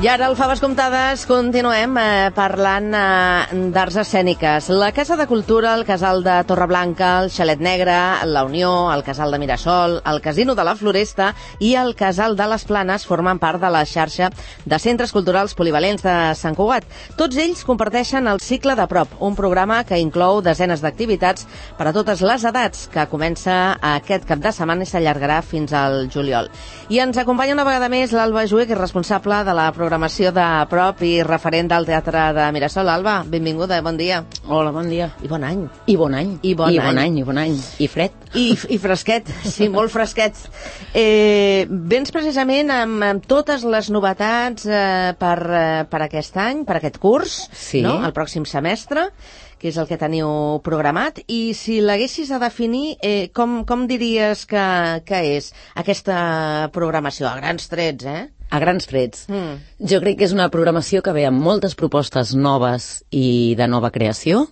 I ara, al Faves Comptades, continuem parlant d'arts escèniques. La Casa de Cultura, el Casal de Torreblanca, el Xalet Negre, la Unió, el Casal de Mirasol, el Casino de la Floresta i el Casal de les Planes formen part de la xarxa de centres culturals polivalents de Sant Cugat. Tots ells comparteixen el Cicle de Prop, un programa que inclou desenes d'activitats per a totes les edats, que comença aquest cap de setmana i s'allargarà fins al juliol. I ens acompanya una vegada més l'Alba Jué, que és responsable de la programació de Prop i referent del Teatre de Mirasol. Alba, benvinguda, bon dia. Hola, bon dia. I bon any. I bon any. I bon any. I bon any. I fred. I fresquet, sí, molt fresquet. Vens precisament amb totes les novetats per aquest any, per aquest curs, sí, no? El pròxim semestre, que és el que teniu programat, i si l'haguessis de definir, com diries que és aquesta programació? A grans trets, A grans trets. Jo crec que és una programació que ve amb moltes propostes noves i de nova creació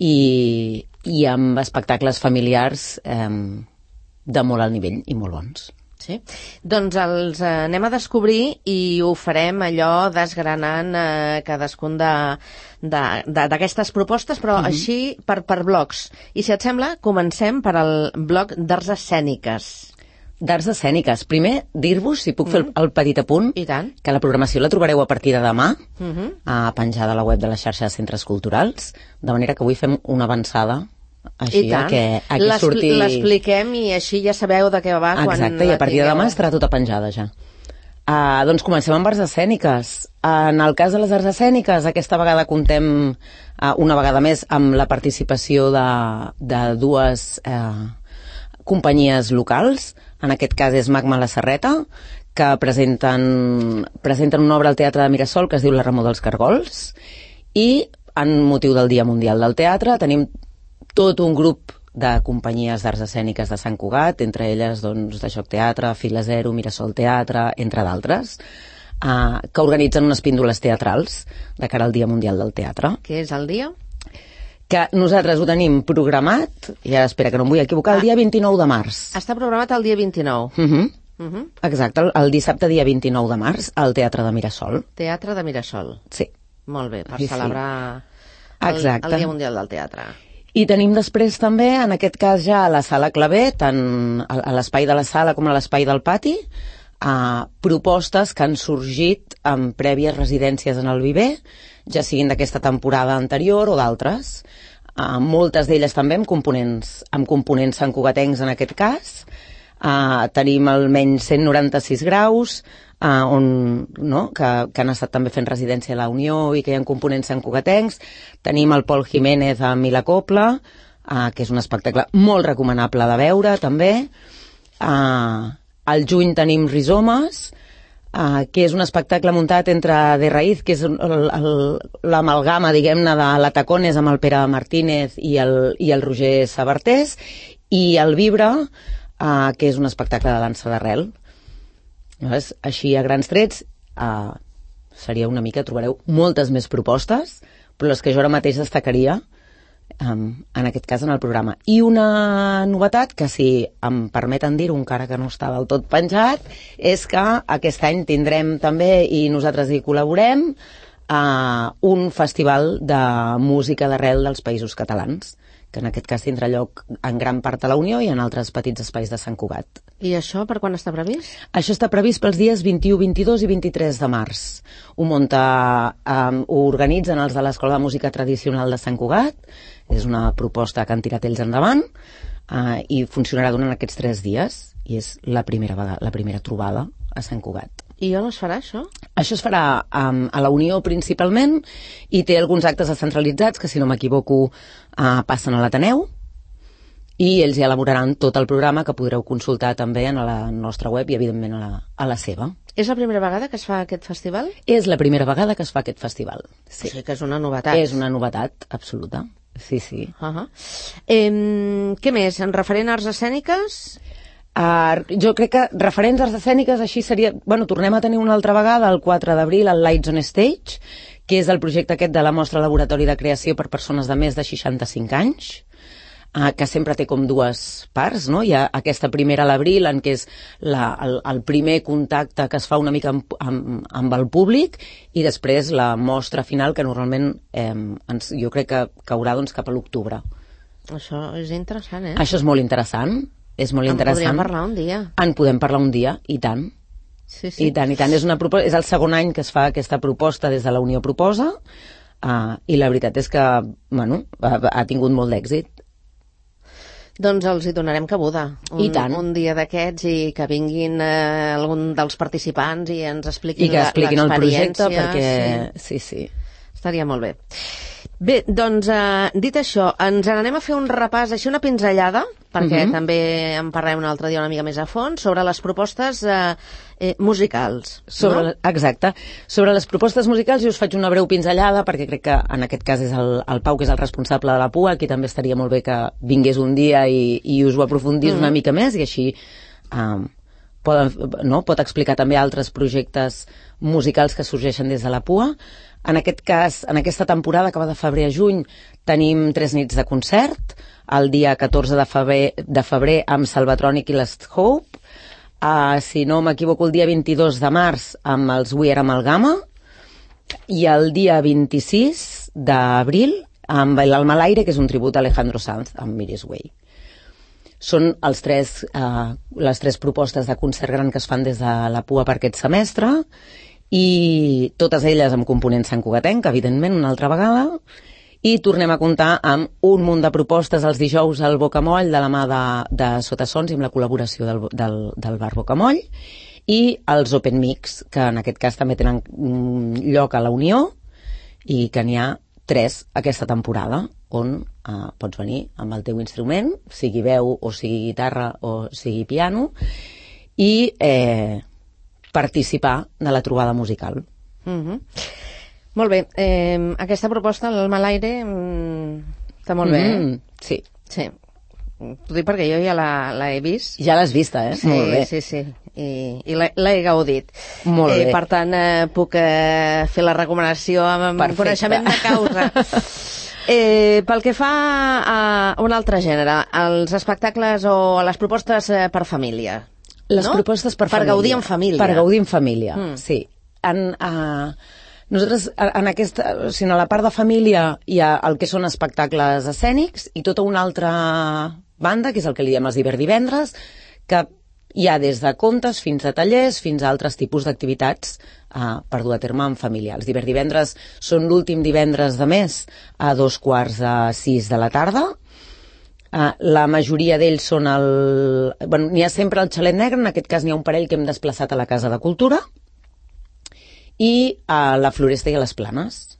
i amb espectacles familiars de molt alt nivell i molt bons. Sí? Doncs els anem a descobrir i ho farem allò desgranant cadascun d'aquestes propostes, però així per blocs. I si et sembla, comencem per al bloc d'arts escèniques. D'arts escèniques. Primer, dir-vos, si puc fer el petit apunt, I tant. Que la programació la trobareu a partir de demà, penjada a la web de la xarxa de centres culturals, de manera que avui fem una avançada, així que aquí surti... L'expliquem i així ja sabeu de què va. Exacte, i a partir de demà estarà tota penjada ja. Doncs comencem amb arts escèniques. En el cas de les arts escèniques, aquesta vegada comptem una vegada més amb la participació de dues companyies locals. En aquest cas és Magma La Serreta, que presenten una obra al Teatre de Mirasol que es diu La Remor dels Cargols, i en motiu del Dia Mundial del Teatre tenim tot un grup de companyies d'arts escèniques de Sant Cugat, entre elles doncs, de Joc Teatre, Fila Zero, Mirasol Teatre, entre d'altres, que organitzen unes píndoles teatrals de cara al Dia Mundial del Teatre. Què és el dia? Que nosaltres ho tenim programat, i ara espera que no em vull equivocar, el dia 29 de març. Està programat el dia 29. Exacte, el dissabte dia 29 de març al Teatre de Mirasol. Teatre de Mirasol. Sí. Molt bé, per celebrar el Dia Mundial del Teatre. I tenim després també, en aquest cas ja a la Sala Clavé, tant a l'espai de la sala com a l'espai del pati, propostes que han sorgit amb prèvies residències en el Viver, ja siguin d'aquesta temporada anterior o d'altres. Moltes d'elles també amb components santcugatencs en aquest cas. Tenim almenys 196 graus, que han estat també fent residència a la Unió i que hi ha components santcugatencs. Tenim el Pol Jiménez amb la Copla, que és un espectacle molt recomanable de veure també. Al juny tenim Rizomes, que és un espectacle muntat entre De Raíz, que és l'amalgama, diguem-ne, de la Tacones amb el Pere Martínez i el Roger Sabartés, i el Vibra, que és un espectacle de dansa d'arrel. Així, a grans trets, seria una mica, trobareu moltes més propostes, però les que jo ara mateix destacaria, en aquest cas en el programa. I una novetat, que si em permeten dir-ho, encara que no està del tot penjat, és que aquest any tindrem també, i nosaltres hi col·laborem, un festival de música d'arrel dels Països Catalans, que en aquest cas tindrà lloc en gran part a la Unió i en altres petits espais de Sant Cugat. I això per quan està previst? Això està previst pels dies 21, 22 i 23 de març. Ho organitzen els de l'Escola de Música Tradicional de Sant Cugat, és una proposta que han tirat ells endavant, i funcionarà durant aquests 3 dies, i és la primera trobada a Sant Cugat. I on es farà això? Això es farà a la Unió principalment, i té alguns actes descentralitzats que, si no m'equivoco, passen a l'Ateneu, i ells ja elaboraran tot el programa que podreu consultar també a la nostra web i, evidentment, a la seva. És la primera vegada que es fa aquest festival? És la primera vegada que es fa aquest festival, sí. O sigui que és una novetat. És una novetat absoluta, sí, sí. Què més? En referent a arts escèniques? Jo crec que referents arts escèniques així seria... tornem a tenir una altra vegada el 4 d'abril el Lights on Stage, que és el projecte aquest de la mostra laboratori de creació per persones de més de 65 anys. que sempre té com dues parts, no? Hi ha aquesta primera a l'abril, en què és el primer contacte que es fa una mica amb el públic, i després la mostra final, que normalment jo crec que caurà doncs, cap a l'octubre. Això és interessant, eh? Això és molt interessant. És molt interessant. En podríem parlar un dia. En podem parlar un dia, i tant. Sí, sí. I tant. És el segon any que es fa aquesta proposta des de la Unió Proposa, i la veritat és que, bueno, ha tingut molt d'èxit. Doncs els hi donarem cabuda. I tant. Un dia d'aquests, i que vinguin algun dels participants i ens expliquin l'experiència. I que expliquin el projecte, perquè... Sí. Estaria molt bé. Bé, doncs, dit això, ens n'anem a fer un repàs, així una pinzellada, perquè també en parlarem un altre dia una mica més a fons, sobre les propostes musicals. Exacte. Sobre les propostes musicals jo us faig una breu pinzellada, perquè crec que en aquest cas és el Pau, que és el responsable de la PUA, que també estaria molt bé que vingués un dia i us ho aprofundís una mica més, i així pot explicar també altres projectes musicals que sorgeixen des de la PUA. En aquest cas, en aquesta temporada, que va de febrer a juny, tenim 3 nits de concert, el dia 14 de febrer amb Salvatronic i l'Est Hope, si no m'equivoco, el dia 22 de març amb els We Are Amalgama, i el dia 26 d'abril amb l'Alma a l'aire, que és un tribut a Alejandro Sanz, amb Miris Way. Són les tres propostes de concert gran que es fan des de la PUA per aquest semestre, i totes elles amb component santcugatenc, evidentment, una altra vegada, i tornem a comptar amb un munt de propostes els dijous al Bocamoll, de la mà de Sotasons, i amb la col·laboració del bar Bocamoll, i els Open Mix, que en aquest cas també tenen lloc a la Unió, i que n'hi ha 3 aquesta temporada, on pots venir amb el teu instrument, sigui veu o sigui guitarra o sigui piano, i participar de la trobada musical. Molt bé. Aquesta proposta, l'Alma a l'aire, està molt bé, Sí. T'ho dic perquè jo ja l'he vist. Ja l'has vista, eh? Molt bé. Sí. I l'he gaudit. Molt bé. Per tant, puc fer la recomanació amb coneixement de causa. Pel que fa a un altre gènere, els espectacles o les propostes per família. Les propostes per família. Per gaudir en família. Per gaudir en família, sí. Nosaltres, a la part de família hi ha el que són espectacles escènics i tota una altra banda, que és el que li diem els divendres, que hi ha des de contes fins a tallers, fins a altres tipus d'activitats per dur a terme en família. Els divendres són l'últim divendres de mes a 5:45 de la tarda. La majoria d'ells són n'hi ha sempre el Xalet Negre, en aquest cas n'hi ha un parell que hem desplaçat a la Casa de Cultura, i a la Floresta i a les Planes.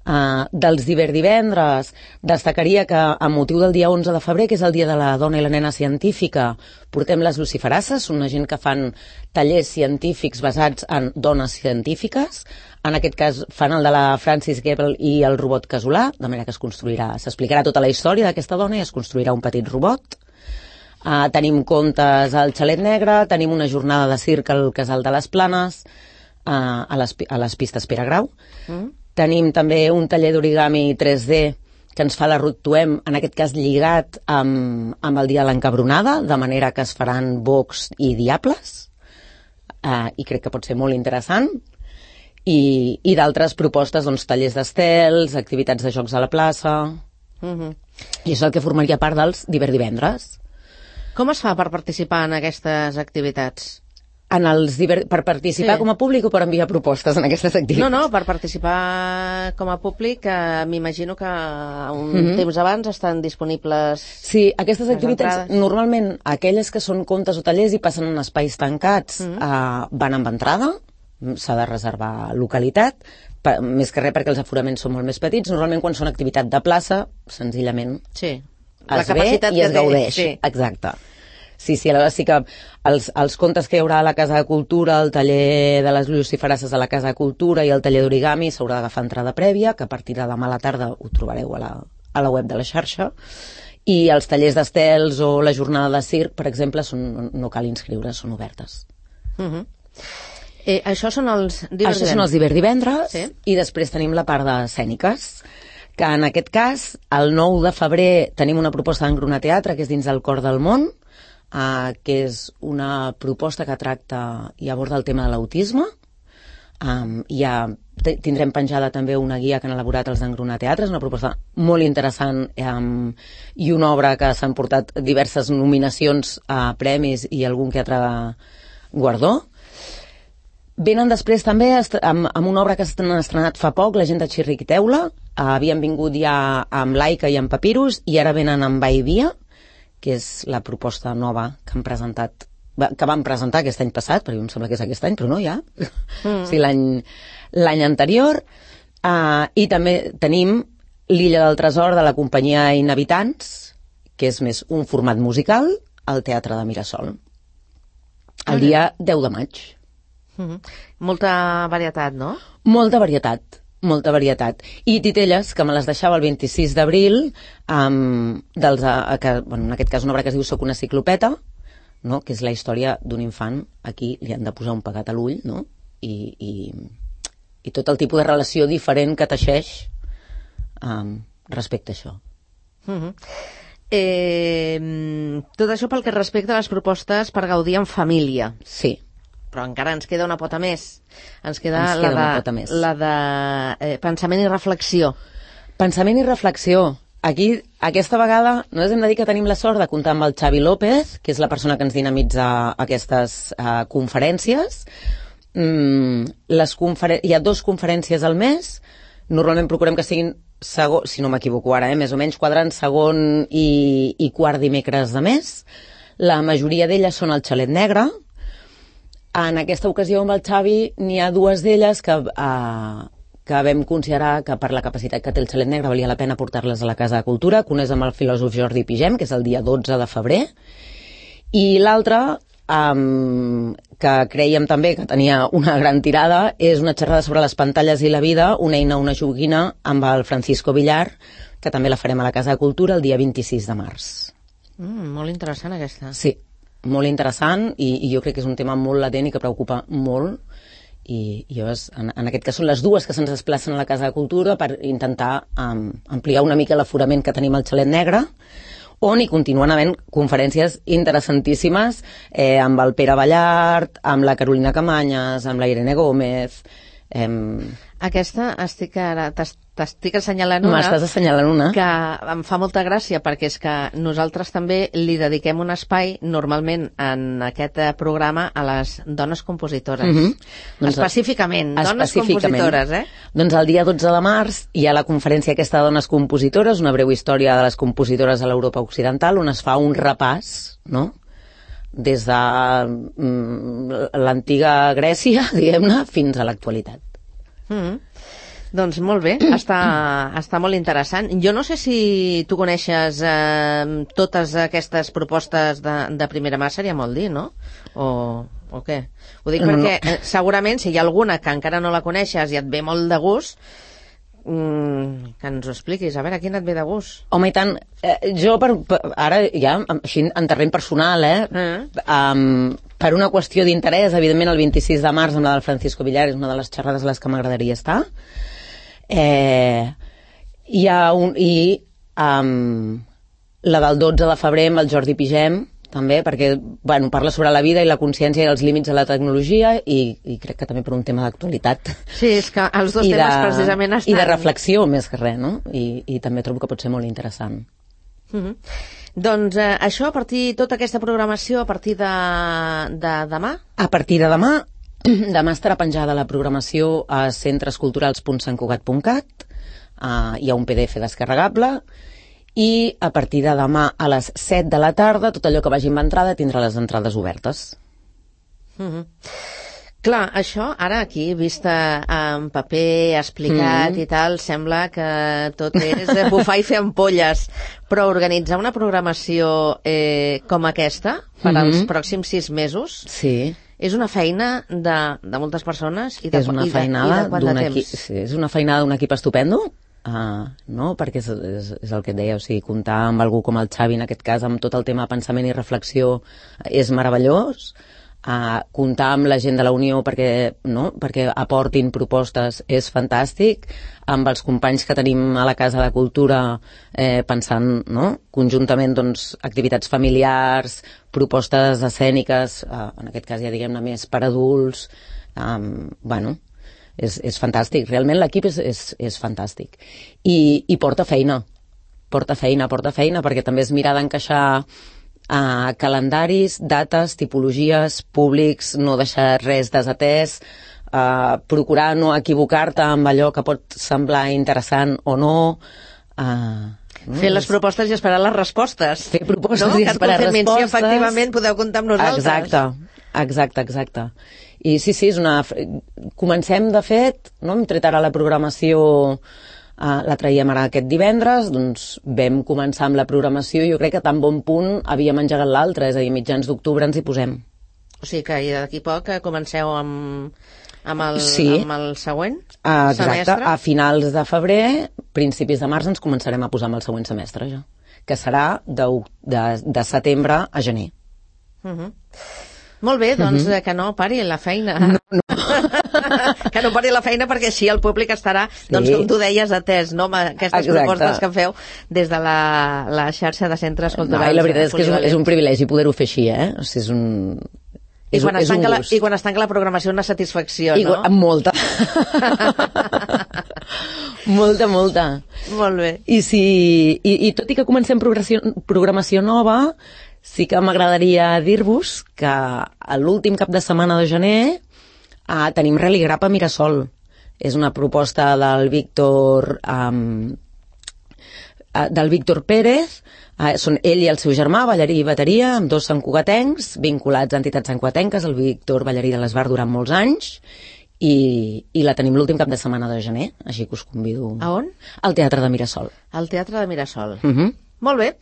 Dels divendres destacaria que, amb motiu del dia 11 de febrer, que és el dia de la dona i la nena científica, portem les luciferasses, una gent que fan tallers científics basats en dones científiques. En aquest cas fan el de la Francis Gebel i el robot casolà, de manera que s'explicarà tota la història d'aquesta dona i es construirà un petit robot. Tenim contes al Xalet Negre, tenim una jornada de circ al Casal de les Planes, a les pistes Pere Grau. Tenim també un taller d'origami 3D que ens fa la Ruth Tuem, en aquest cas lligat amb el dia de l'encabronada, de manera que es faran bocs i diables, i crec que pot ser molt interessant. I d'altres propostes, doncs, tallers d'estels, activitats de jocs a la plaça. I això és el que formaria part dels divendres. Com es fa per participar en aquestes activitats? Per participar com a públic o per enviar propostes en aquestes activitats? No, per participar com a públic, m'imagino que un temps abans estan disponibles. Sí, aquestes activitats, normalment aquelles que són contes o tallers i passen en espais tancats, van amb entrada, s'ha de reservar localitat, més que res perquè els aforaments són molt més petits. Normalment quan són activitat de plaça, senzillament es ve i es gaudeix. Exacte. Sí, aleshores sí que els contes que hi haurà a la Casa de Cultura, el taller de les luciferasses a la Casa de Cultura i el taller d'origami s'haurà d'agafar entrada prèvia, que a partir de demà a la tarda ho trobareu a la web de la xarxa. I els tallers d'estels o la jornada de circ, per exemple, no cal inscriure, són obertes. Això són els divendres. I després tenim la part d'escèniques, que en aquest cas, el 9 de febrer tenim una proposta d'Engruna Teatre, que és dins del Cor del Món, que és una proposta que tracta i aborda el tema de l'autisme. Tindrem penjada també una guia que han elaborat els d'Engruna Teatre, és una proposta molt interessant i una obra que s'han portat diverses nominacions a premis i algun que altre guardó. Venen després també amb una obra que s'han estrenat fa poc, La gent de Xirriquiteula. Havien vingut ja amb Laika i amb Papyrus i ara venen amb Baivia, que és la proposta nova que han presentat, que van presentar aquest any passat, perquè em sembla que és aquest any, però no, ja. O sigui, l'any anterior. I també tenim L'Illa del Tresor de la companyia Inhabitants, que és més un format musical, al Teatre de Mirasol. El dia 10 de maig. Molta varietat, no? Molta varietat. I titelles, que me les deixava el 26 d'abril, en aquest cas una obra que es diu Soc una ciclopeta, no? Que és la història d'un infant a qui li han de posar un pegat a l'ull, no? I tot el tipus de relació diferent que teixeix respecte a això. Tot això pel que respecta a les propostes per gaudir en família. Sí. Però encara ens queda una pota més. Ens queda la de pensament i reflexió. Pensament i reflexió. Aquí, aquesta vegada, nosaltres hem de dir que tenim la sort de comptar amb el Xavi López, que és la persona que ens dinamitza aquestes conferències. Hi ha 2 conferències al mes. Normalment procurem que siguin, si no m'equivoco ara, més o menys quadrant, segon i quart dimecres de mes. La majoria d'elles són al Xalet Negre. En aquesta ocasió amb el Xavi n'hi ha 2 d'elles que vam considerar que per la capacitat que té el Xalet Negre valia la pena portar-les a la Casa de Cultura, que una és amb el filòsof Jordi Pigem, que és el dia 12 de febrer, i l'altra, que creiem també que tenia una gran tirada, és una xerrada sobre les pantalles i la vida, una eina, una joguina, amb el Francisco Villar, que també la farem a la Casa de Cultura el dia 26 de març. Molt interessant aquesta. Sí, molt interessant, i jo crec que és un tema molt latent i que preocupa molt, i llavors, en aquest cas són les 2 que se'ns desplacen a la Casa de Cultura per intentar ampliar una mica l'aforament que tenim al Xalet Negre, on hi continuen havent conferències interessantíssimes amb el Pere Ballart, amb la Carolina Camanyes, amb la Irene Gómez. Aquesta t'estic assenyalant una. M'estàs assenyalant una. Que em fa molta gràcia, perquè és que nosaltres també li dediquem un espai, normalment en aquest programa, a les dones compositores. Específicament, dones compositores, Doncs el dia 12 de març hi ha la conferència aquesta de dones compositores, una breu història de les compositores a l'Europa Occidental, on es fa un repàs, no?, des de l'antiga Grècia, diguem-ne, fins a l'actualitat. Doncs molt bé, està molt interessant. Jo no sé si tu coneixes totes aquestes propostes de primera mà, seria molt dir, no? O què? Ho dic perquè segurament si hi ha alguna que encara no la coneixes i et ve molt de gust, que ens ho expliquis, a veure, quin et ve de gust? Home, i tant, jo ara ja, així en terreny personal, per una qüestió d'interès, evidentment el 26 de març amb la del Francisco Villar és una de les xerrades a les que m'agradaria estar. Hi ha la del 12 de febrer amb el Jordi Pigem, també, perquè parla sobre la vida i la consciència i els límits de la tecnologia i crec que també per un tema d'actualitat. Sí, és que els dos temes precisament estan... I de reflexió, més que res, no? I també trobo que pot ser molt interessant. Doncs això, tota aquesta programació a partir de demà? A partir de demà estarà penjada la programació a centresculturals.santcugat.cat, hi ha un PDF descarregable, i a partir de demà a les 7 de la tarda tot allò que vagi amb entrada tindrà les entrades obertes. Clar, això ara aquí, vista en paper, explicat i tal, sembla que tot és bufar i fer ampolles, però organitzar una programació com aquesta per als pròxims 6 mesos és una feina de moltes persones i de quant de temps? És una feinada d'un equip estupendo, no? Perquè és el que et deia, o sigui, comptar amb algú com el Xavi en aquest cas, amb tot el tema de pensament i reflexió és meravellós, comptar amb la gent de la Unió perquè aportin propostes és fantàstic, amb els companys que tenim a la Casa de Cultura pensant conjuntament activitats familiars, propostes escèniques, en aquest cas ja diguem-ne més per adults, és fantàstic, realment l'equip és fantàstic i porta feina perquè també és mirar d'encaixar calendaris, dates, tipologies, públics, no deixar res desatès, procurar no equivocar-te amb allò que pot semblar interessant o no. Fer les propostes i esperar les respostes. Fer propostes i esperar respostes. Si efectivament podeu comptar amb nosaltres. Exacte. I sí, comencem, de fet, hem tret ara la programació. La traiem ara aquest divendres, doncs vam començar amb la programació i jo crec que tan bon punt havíem engegat l'altre, és a dir, mitjans d'octubre ens hi posem. O sigui que d'aquí poc comenceu amb el següent semestre? Exacte, a finals de febrer, principis de març ens començarem a posar amb el següent semestre ja, que serà de setembre a gener. Molt bé, doncs que no pari la feina. No. Que no pari la feina perquè així el públic estarà, com tu deies, atès, amb aquestes propostes que feu des de la xarxa de centres culturals. La veritat és que és un privilegi poder-ho fer així, O sigui, I quan es tanca la programació una satisfacció, no? Molta. molta. Molt bé. I tot i que comencem programació nova, sí que m'agradaria dir-vos que a l'últim cap de setmana de gener tenim Religrap a Mirasol. És una proposta del Víctor Pérez. Són ell i el seu germà, ballarí i bateria, amb 2 santcugatencs, vinculats a entitats santcugatenques. El Víctor ballarí de l'Esbar durant molts anys, i la tenim l'últim cap de setmana de gener, així que us convido. A on? Al Teatre de Mirasol. Al Teatre de Mirasol. Molt bé,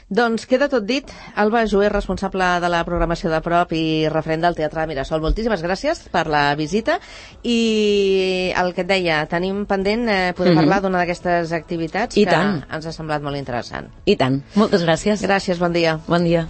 doncs queda tot dit. Alba Jover, responsable de la programació de prop i referent del Teatre de Mirasol. Moltíssimes gràcies per la visita i el que et deia, tenim pendent poder parlar d'una d'aquestes activitats que ens ha semblat molt interessant. I tant, moltes gràcies. Gràcies, bon dia. Bon dia.